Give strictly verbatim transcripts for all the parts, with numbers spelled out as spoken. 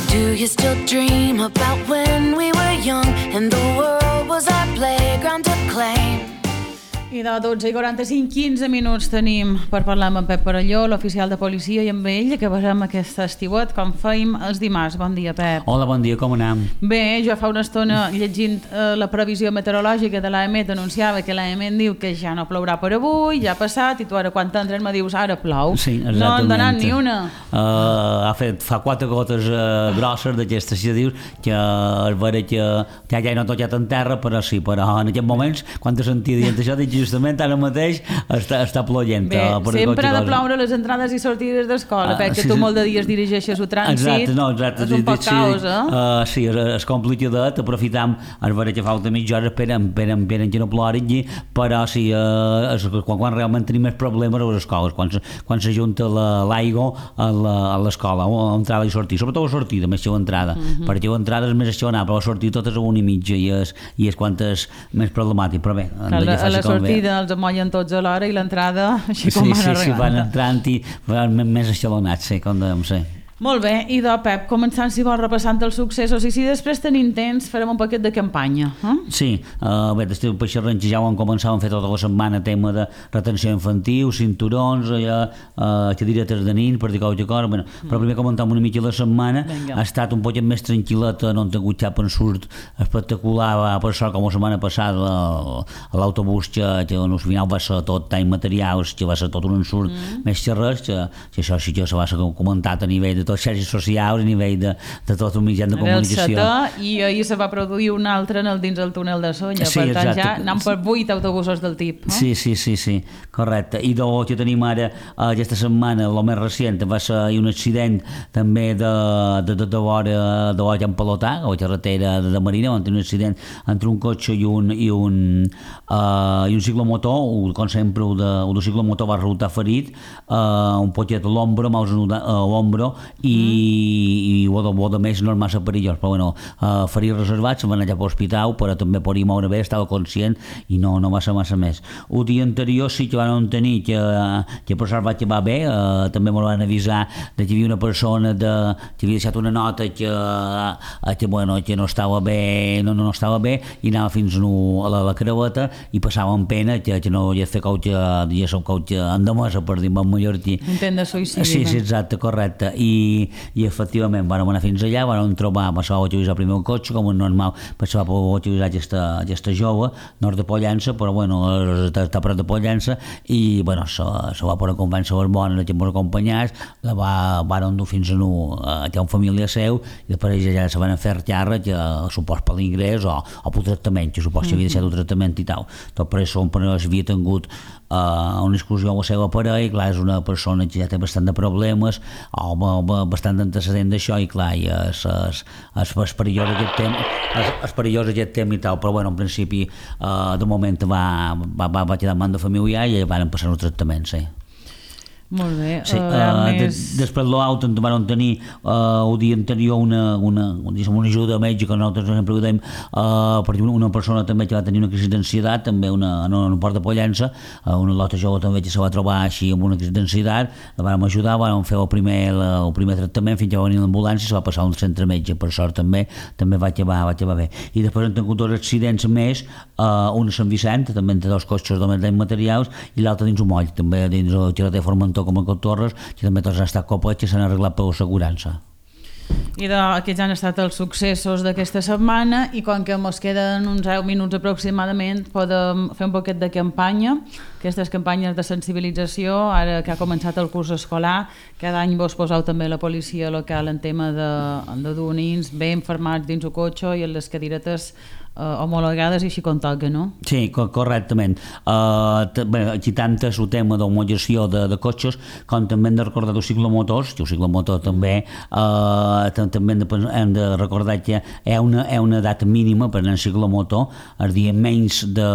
Do you still dream about when we were young and the world was our playground to claim? I de dotze i quaranta-cinc, quinze minuts tenim per parlar amb en Pep Perelló, l'oficial de policia, i amb ell que veurem aquest estiuet com feim els dimarts. Bon dia, Pep. Hola, bon dia, com anem? Bé, jo fa una estona llegint eh, la previsió meteorològica de l'A E M E T anunciava que l'A E M E T diu que ja no plourà per avui, ja ha passat, i tu ara quan t'entres me dius ara plou. Sí, exactament. No han donat ni una. Uh, ha fet, fa quatre gotes uh, grosses d'aquestes, si dius, que es veure que ja, ja no ha tocat en terra, però sí, però en aquests moments, quan te sentia dient això, dic justament ara mateix està, està ploient. Bé, uh, sempre ha de ploure les entrades i sortides d'escola, uh, perquè sí, tu molt de dies dirigeixes el trànsit. Exacte, no, exacte. És un poc sí, caos, eh? Uh, sí, és, és complicadet, aprofitam, es veure que falta mitja hora, esperen, esperen, esperen que no plogui, però sí, uh, és, quan, quan realment tenim més problemes a les escoles, quan, quan s'ajunta l'aigua a l'escola, a entrada i sortir, sobretot a sortida, més que a entrada, uh -huh. perquè a entrada és més aixonat, però a sortir totes a una i mitja i és, i és quan és més problemàtic, però bé, a la, a la sortida els amollen tots a l'hora i l'entrada així com sí, van sí, arribant. Sí, van entrant i van més aixalonats, sí, com devem ser. Molt bé, i de Pep, començant si vols repassant els successos, i si després tenim temps farem un paquet de campanya. Eh? Sí, uh, bé, des del Peixarrenc ja vam començar a fer tota la setmana tema de retenció infantil, cinturons, allà, uh, xadiretes de nins, per dir qualque cosa, bueno, mm. però primer comentam una mica la setmana, Venga. Ha estat un poquet més tranquil·leta, no han tingut cap ensurt espectacular, va, per sort com la setmana passada a l'autobús que, que al final va ser tot time materials, que va ser tot un ensurt mm. més que res, que, que això sí que se va ser comentat a nivell de totes les xarxes socials, a nivell de, de tot un mitjà de comunicació. Era el setè, i ahir se va produir un altre en el, dins el túnel de Sonya, sí, per tant exacte. Ja anem per vuit autobusos del tip. No? Sí, sí, sí, sí, correcte. I del que tenim ara aquesta setmana, el més recent, va ser un accident també de, de, de, de vora de vora Campalotà, a la carretera de, de Marina, on té un accident entre un cotxe i un, i un, uh, i un ciclomotor, com sempre el de, el de ciclomotor va resultar ferit, uh, un poquet a l'ombro, mals a l'ombro, i, mm. i o, de, o de més no és massa perillós, però bueno, uh, ferits reservats, van allà per l'hospital, però també podia moure bé, estava conscient i no, no va ser massa més. El dia anterior sí que van tenir que, que per sort va acabar bé, uh, també m'ho van avisar de que hi havia una persona de, que havia deixat una nota que, uh, que, bueno, que no estava bé, no, no estava bé, i anava fins no, a la, la creueta i passava en pena que, que no hi havia fet cauche, ja som cauche endemesa, per dir en mallorquí. Intent de suïcidi. Sí, sí, exacte, correcte. I i efectivament vam anar fins allà, vam trobar, va ser utilitzar primer un cotxe, com un normal, se va poder utilitzar aquesta, aquesta jove, nord de Pollença, però bueno, està, està prop de Pollença, i bueno, se, se va poder convèncer les bones que ens acompanyats, la va, van dur fins a no, a un família seu, i després ja se van fer terra, que supos per l'ingrés o, o pel tractament, que supos que havia deixat un tractament i tal. Tot per això un parell havia tingut uh, una excursió amb la seva parella, i clar, és una persona que ja té bastant de problemes, o bastant d'antecedent d'això, i clar, i és, és, és, és perillós aquest tema, és, és perillós aquest tema i tal, però bueno, en principi uh, de moment va, va, va, va quedar en mans de familiar i van passar el tractament, sí. Molt bé. Sí, uh, més... de, després l'auto en van tenir uh, el dia anterior una, una, una ajuda mèdica, nosaltres sempre ho dèiem, uh, per una persona també que va tenir una crisi d'ansietat, també una, en un port de Pollença, uh, una altra jove també que se va trobar així amb una crisi d'ansietat, la vam ajudar, vam fer el primer, el primer tractament fins que va venir l'ambulància i se va passar a un centre metge, per sort també, també va acabar, va acabar bé. I després han tingut dos accidents més, uh, un a Sant Vicent, també entre dos cotxes de materials, i l'altre dins un moll, també dins el carretera Formentor, com a Torres, que també tots han estat copets que s'han arreglat per l'assegurança. I de, aquests han estat els successos d'aquesta setmana, i com que ens queden uns deu minuts aproximadament podem fer un poquet de campanya, aquestes campanyes de sensibilització, ara que ha començat el curs escolar, cada any vos poseu també la policia local en tema de, de dur nins ben formats dins el cotxe i en les cadiretes Uh, homologades i així com toca, no? Sí, co correctament. Uh, bé, aquí tant és el tema d'homologació de, de cotxes, com també hem de recordar els ciclomotors, que el ciclomotor també uh, també hem de, hem de recordar que hi ha una, hi ha una edat mínima per anar en ciclomotor, el dia menys de,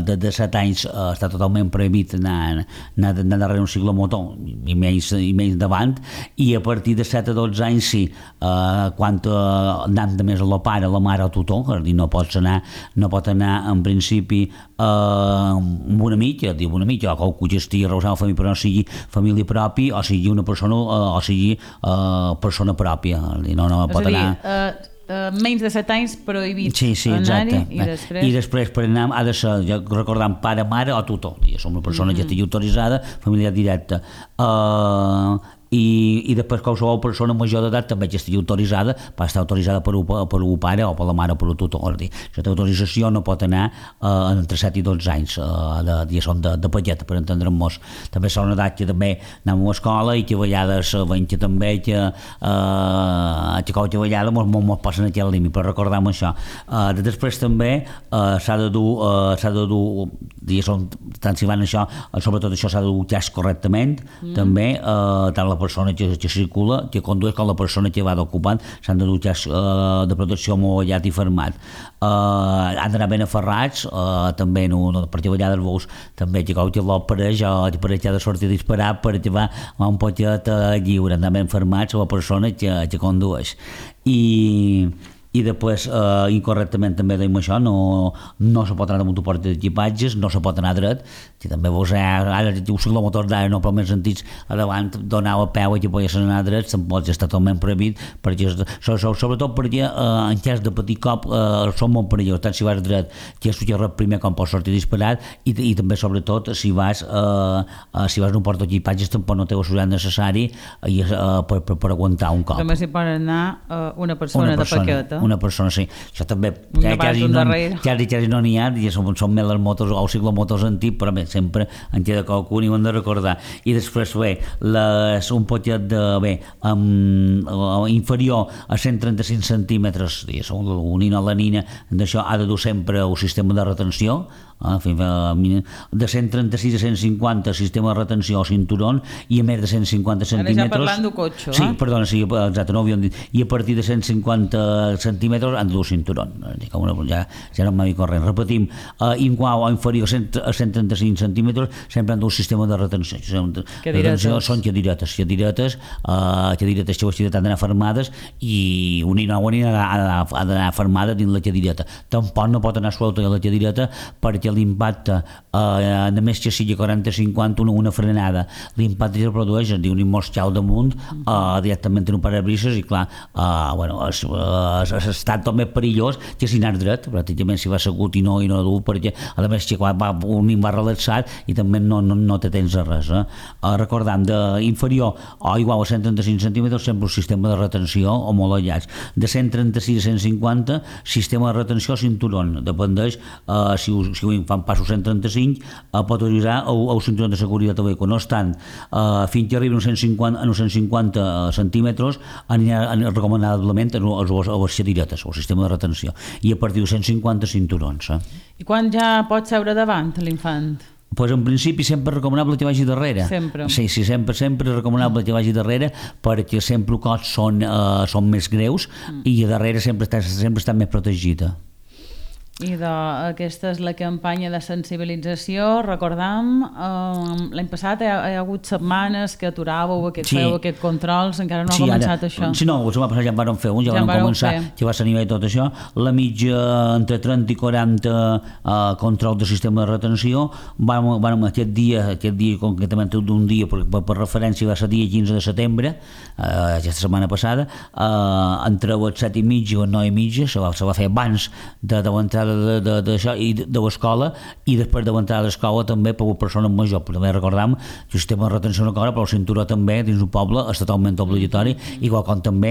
de, de set anys uh, està totalment prohibit anar, anar, anar darrere un ciclomotor, i menys, i menys davant, i a partir de set a dotze anys sí, uh, quan uh, anant de més a la pare, la mare o tutor, és a dir, no pots pot anar, no pot anar en principi eh, amb una mitja, diu una mitja, o que estigui arreu família, però no sigui família pròpia, o sigui una persona, eh, o sigui eh, persona pròpia, no, no pot anar... Uh, Uh, menys de set anys prohibit sí, sí, anar-hi i després... I després per anar ha de ser, ja recordant, pare, mare o tutor, som una persona mm-hmm. que estigui autoritzada, familiar directa. Uh, i, i després qualsevol persona major d'edat també que estigui autoritzada, va estar autoritzada per un, per un pare o per la mare o per un tutor. Aquesta autorització no pot anar uh, entre set i dotze anys, uh, de, de, de, de paquet, per entendre'ns. També són una edat que també anem a l'escola i que a vegades veiem que també que, uh, que qualque vegada mos, mos passen aquí al límit, però recordem això. Uh, després també uh, s'ha de dur, uh, s'ha de dur, diguéssim, tant si van això, sobretot això s'ha de dur casc correctament, mm. també, uh, tant la persona que, que circula, que condueix, com la persona que va d'ocupant, s'han de dur casc uh, de protecció mollat i fermat. Uh, han d'anar ben aferrats, uh, també, no, no, perquè a vegades veus també que quan l'opereix, o per ha de sortir a disparar perquè va, va un poquet uh, lliure, anar ben fermats a la persona que, que condueix. I... i després eh, incorrectament també deim això, no, no se pot anar amb un suport d'equipatges, no se pot anar dret, que també veus, eh, ara un ciclomotor d'ara no, però més sentits a davant donava a peu i que podies anar dret, tampoc està totalment prohibit, perquè, sobretot perquè eh, en cas de petit cop eh, són molt perillosos, tant si vas dret, que és el primer com pots sortir disparat, i, i també sobretot si vas eh, eh, si vas en un portaequipatges tampoc no té la seguretat necessari eh, per, per, per aguantar un cop. També s'hi pot anar eh, una persona, una persona de paquet, una persona, sí. Això també ja, quasi, no, quasi, quasi no n'hi ha, ja són, són més les motos o ciclomotors antics, però bé, sempre en queda qualcun i ho hem de recordar. I després, bé, les, un poquet de, bé, um, inferior a cent trenta-cinc centímetres, unint a la nina, d'això ha de dur sempre un sistema de retenció, eh, de cent trenta-sis a cent cinquanta sistema de retenció o cinturón, i a més de cent cinquanta centímetres... Ara ja parlant d'un cotxe, sí, eh? perdona, sí, exacte, no ho havíem dit. I a partir de cent cinquanta centímetres han de dur cinturón, ja, ja no m'havia corrent. Repetim, eh, igual o inferior a cent trenta-cinc centímetres sempre han de dur sistema de retenció. Retenció són cadiretes, cadiretes, eh, cadiretes que han d'anar fermades, i una i nova ha d'anar fermada dins la cadireta. Tampoc no pot anar suelta a la cadireta perquè l'impacte, eh, només que sigui quaranta cinquanta, una, una frenada, l'impacte que es produeix, es diu un immortal damunt, eh, directament en un parabrises, i clar, eh, bueno, es, es, es està tot més perillós que si anar dret, pràcticament si va assegut i no, i no dur, perquè a més que quan va, un va relaxat i també no, no, no té temps de res. Eh? Eh, recordant, d'inferior o igual a cent trenta-cinc centímetres sempre un sistema de retenció homologats. De cent trenta-sis a cent cinquanta, sistema de retenció cinturón, dependeix, eh, si, si fan passos cent trenta-cinc, eh, pot utilitzar el, el cinturó de seguretat del vehicle. No obstant, eh, fins que arribi a uns cent cinquanta, a uns cent cinquanta centímetres, anirà recomanablement a les cadiretes, el sistema de retenció, i a partir de cent cinquanta cinturons. Eh? I quan ja pot seure davant l'infant? Pues en principi sempre és recomanable que vagi darrere. Sempre. Sí, sí, sempre, sempre és recomanable que vagi darrere, perquè sempre els cops són, uh, són més greus, mm. i a darrere sempre està, sempre està més protegida. I de, aquesta és la campanya de sensibilització. Recordam, eh, l'any passat hi ha, hi ha hagut setmanes que aturàveu, aquest, sí. feu aquests controls, encara no sí, ha començat ara, això. Sí, no, la setmana passada ja en vàrem fer un, ja, ja vam començar, fer. Que va ser a nivell tot això. La mitja entre trenta i quaranta eh, control de sistema de retenció. Vam, vam aquest dia, aquest dia concretament d'un dia, per, per, per referència va ser dia quinze de setembre, eh, aquesta setmana passada, eh, entre les set i mitja o les nou i mitja, se va, se va fer abans de, de l'entrada d'això i de, de l'escola, i després de l'entrada a l'escola també per a persones majors. Però també recordam que el sistema de retenció no cobra, però el cinturó també dins un poble és totalment obligatori, igual com també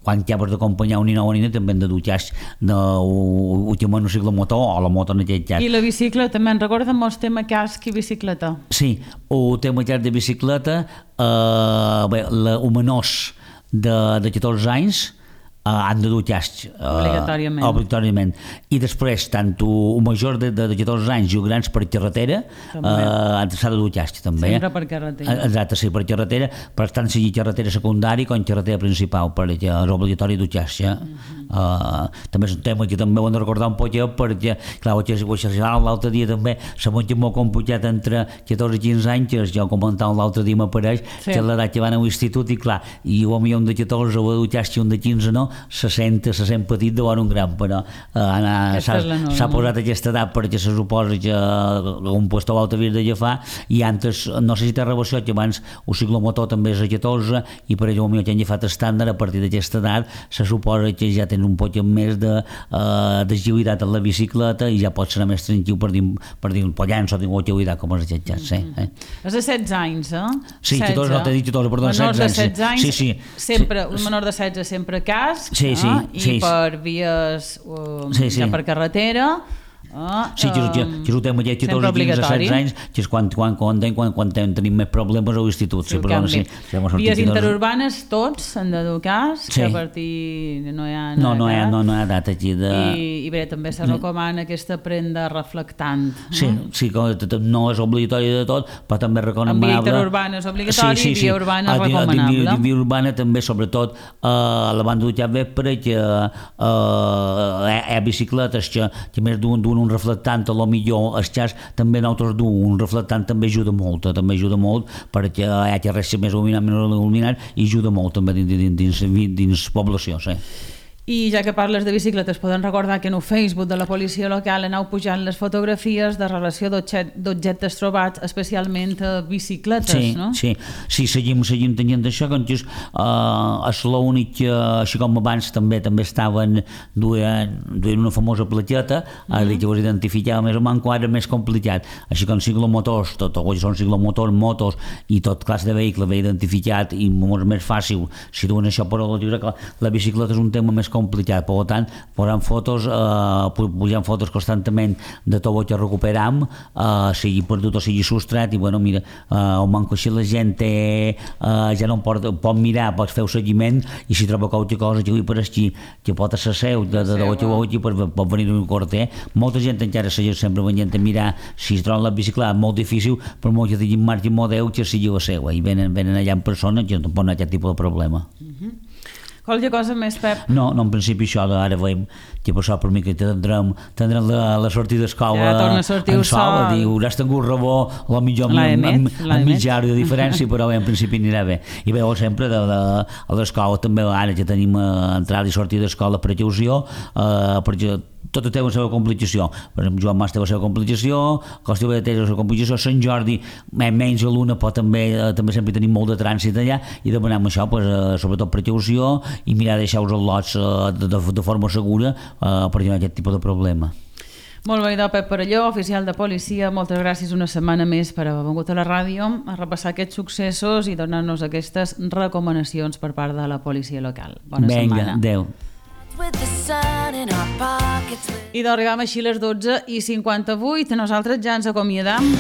quan ja has d'acompanyar un nino o una nina també hem de dur casc últimament un ciclomotor o la moto en aquest cas. I la bicicleta, també en recordem el tema casc i bicicleta? Sí, el tema casc de bicicleta, eh, bé, la, els menors de, de catorze anys Uh, han de dur casc uh, obligatòriament. obligatòriament i després tant un major de, de, de catorze anys i grans per carretera uh, s'ha de dur casc també, sempre per carretera, exacte, sí, per carretera, per tant sigui carretera secundària com carretera principal, perquè és obligatori dur casc, ja? uh-huh. Uh, també és un tema que també ho hem de recordar un poquet perquè, clar, ho xerràvem l'altre dia també, la monja molt computat entre catorze i quinze anys, que jo comentava l'altre dia m'apareix, sí. que l'edat que van a l'institut i clar, i un millor de catorze o un de quinze no, se sent, se sent petit de un gran, però uh, s'ha posat aquesta edat perquè se suposa que un puesto l'altre havia d'agafar i antes, no sé si té relació que abans el ciclomotor també és a catorze i per allò millor que han agafat estàndard a partir d'aquesta edat se suposa que ja tens un poc més de uh, d'agilitat en la bicicleta i ja pots ser més tranquil per dir, per dir un pollanç o dir agilitat com els jetjats, eh? eh? És de setze anys, eh? Sí, catorze, no t'he dit catorze, perdó, menors setze anys. de setze anys, sí, sí. sempre, un menor de setze sempre casc, sí, sí, eh? I sí, per vies uh, sí, sí. ja per carretera. Ah, sí, que, que, que és un tema que catorze, quinze, setze anys, que és quan, quan, quan, quan, quan tenim més problemes a l'institut. Sí, sí, però, sí, sí, vies interurbanes, tots s'han de dur casc, sí. que a partir no hi ha no, no, hi ha, no, no hi ha data aquí de... I, i bé, també se recomana aquesta prenda reflectant. Sí, no? Sí, no és obligatori de tot, però també és recomanable. En via interurbana és obligatori sí, sí, sí. I via urbana és recomanable. En via urbana també, sobretot, a la banda d'utjar vespre, que hi ha bicicletes que, que més d'un un reflectant, a lo millor el xas també nosaltres du, un reflectant també ajuda molt, també ajuda molt perquè hi ha que res més il·luminat, menys il·luminat i ajuda molt també dins, dins, dins, dins població, sí. I ja que parles de bicicletes, poden recordar que en el Facebook de la policia local aneu pujant les fotografies de relació d'objectes trobats, especialment bicicletes, sí, no? Sí, sí, seguim, seguim tenint això, que és, uh, és l'únic que, així com abans també també estaven duent, duent una famosa platgeta, mm-hmm. ara que us identificava més o menys, ara més complicat. Així com ciclomotors, tot el que són ciclomotors, motos i tot classe de vehicle ve identificat i molt més fàcil si duen això, però la, la bicicleta és un tema més complicat, per tant, posant fotos, eh, pujant fotos constantment de tot el que recuperam, eh, sigui perdut o sigui sostrat, i bueno, mira, eh, el manco així la gent té, eh, ja no pot, pot mirar, pot fer un seguiment, i si troba qualque cosa que avui per aquí, que pot ser seu, de, de, de, de, de, de, pot venir un corter. Molta gent encara segueix sempre venint a mirar si es troben la bicicleta, molt difícil, però molt que tinguin marca i model que sigui la seva, i venen, venen allà en persona, que no poden aquest tipus de problema. Mhm. Qualque cosa més, Pep? No, no, en principi això ara veiem que per això per mi que tindrem, tindrem la, la sortida d'escola ja torna a sortir en sol, dir, hauràs tingut rebó a la mitja mitja hora de diferència, però bé, en principi anirà bé. I bé, sempre de, de, a l'escola també ara ja tenim entrada i sortida d'escola per precaució, eh, perquè tot té la seva complicació. Per exemple, Joan Mas té la seva complicació, Costella té la seva complicació, Sant Jordi, menys a l'una, però també, també sempre tenim molt de trànsit allà, i demanem això, pues, sobretot precaució, i mirar de deixar-vos els lots de, de, de forma segura eh, perquè no hi ha aquest tipus de problema. Molt bé, Pep Perelló, oficial de policia, moltes gràcies una setmana més per haver vingut a la ràdio a repassar aquests successos i donar-nos aquestes recomanacions per part de la policia local. Bona Venga, setmana. Adéu. I d'arribar així a les dotze i cinquanta-vuit, nosaltres ja ens acomiadam.